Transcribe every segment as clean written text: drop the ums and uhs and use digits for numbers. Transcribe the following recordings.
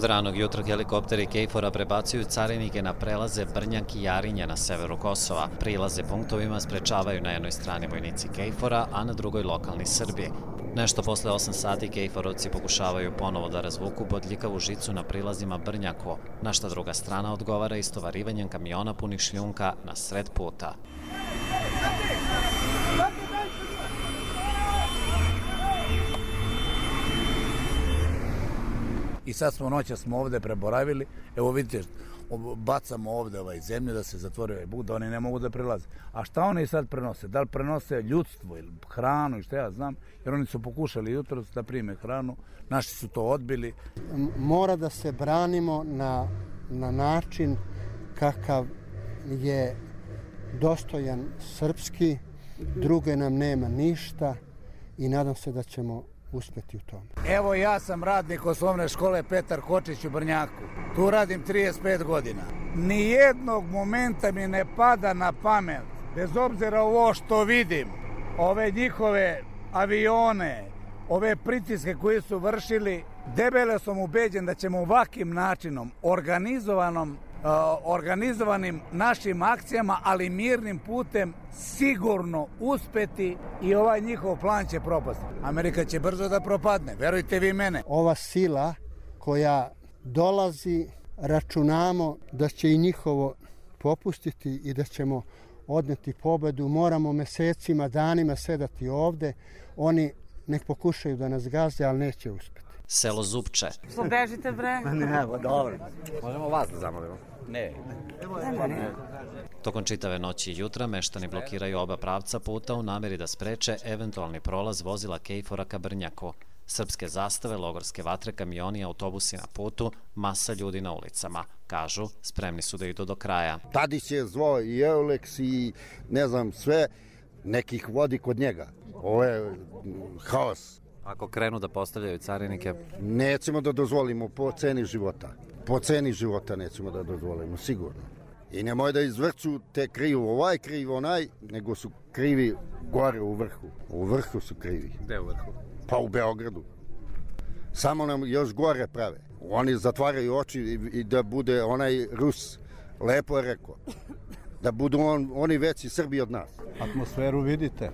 Od ranog jutra helikopteri KFOR-a prebacuju carinike na prelaze Brnjak i Jarinje na severu Kosova. Prilaze punktovima sprečavaju na jednoj strani vojnici KFOR-a, a na drugoj lokalni Srbi. Nešto posle 8 sati KFOR-ovci pokušavaju ponovo da razvuku bodljikavu žicu na prilazima Brnjako, na šta druga strana odgovara istovarivanjem kamiona punih šljunka na sred puta. I sad smo ovde preboravili, evo vidite, bacamo ovde zemlju da se zatvori ovaj put, da oni ne mogu da prilaze. A šta oni sad prenose? Da li prenose ljudstvo ili hranu i šta ja znam, jer oni su pokušali jutros da prime hranu, naši su to odbili. Mora da se branimo na način kakav je dostojan srpski, druge nam nema ništa i nadam se da ćemo uspeti u tome. Evo ja sam radnik osnovne škole Petar Kočić u Brnjaku. Tu radim 35 godina. Nijednog momenta mi ne pada na pamet, bez obzira ovo što vidim, ove njihove avione, ove pritiske koje su vršili, debelo sam ubeđen da ćemo ovakvim načinom, organizovanim našim akcijama, ali mirnim putem, sigurno uspeti i ovaj njihov plan će propasti. Amerika će brzo da propadne, verujte vi mene. Ova sila koja dolazi, računamo da će i njihovo popustiti i da ćemo odneti pobedu. Moramo mesecima, danima sedati ovde. Oni nek pokušaju da nas gaze, ali neće uspeti. Selo Zupče. Što bežite, bre? Ne, dobro. Možemo vas da zamolimo. Ne. Tokom čitave noći i jutra meštani blokiraju oba pravca puta u nameri da spreče eventualni prolaz vozila KFOR-a ka Brnjaku. Srpske zastave, logorske vatre, kamioni, autobusi na putu, masa ljudi na ulicama. Kažu, spremni su da idu do kraja. Tadić je zvao i Euleks i ne znam sve, nekih vodi kod njega. Ovo je haos. Ako krenu da postavljaju carinike? Nećemo da dozvolimo po ceni života. Po ceni života nećemo da dozvolimo, sigurno. I nemoj da izvrću te krivu ovaj, kriv onaj, nego su krivi gore u vrhu. U vrhu su krivi. Gde u vrhu? Pa u Beogradu. Samo nam još gore prave. Oni zatvaraju oči i da bude onaj Rus, lepo je rekao, da budu oni veći Srbi od nas. Atmosferu vidite.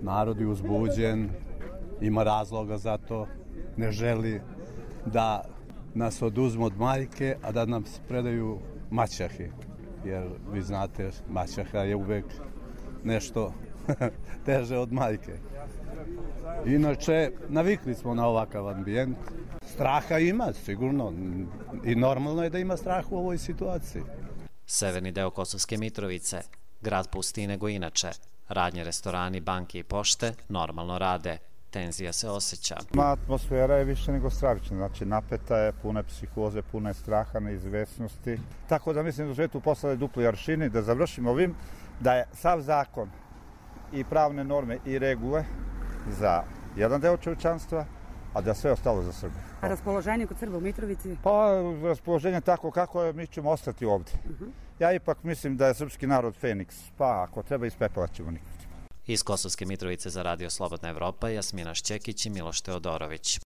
Narod je uzbuđen, ima razloga za to, ne želi da nas oduzmu od majke, a da nam predaju maćahi. Jer vi znate, maćaha je uvek nešto teže od majke. Inače, navikli smo na ovakav ambijent. Straha ima, sigurno. I normalno je da ima strah u ovoj situaciji. Severni deo Kosovske Mitrovice, grad pusti nego inače. Radnje, restorani, banke i pošte normalno rade. Tenzija se osjeća. Atmosfera je više nego stravična, znači napeta je, puna je psihoze, puna je straha, neizvesnosti. Tako da mislim da su tu poslali dupli aršini, da završimo ovim, da je sav zakon i pravne norme i regule za jedan deo čovječanstva, a da sve ostalo za Srbiju. A raspoloženje kod Srba u Mitrovici? Pa raspoloženje tako kako je, mi ćemo ostati ovde. Ja ipak mislim da je srpski narod Feniks, pa ako treba ispepelat ćemo nikad. Iz Kosovske Mitrovice za Radio Slobodna Evropa, Jasmina Šćekić i Miloš Teodorović.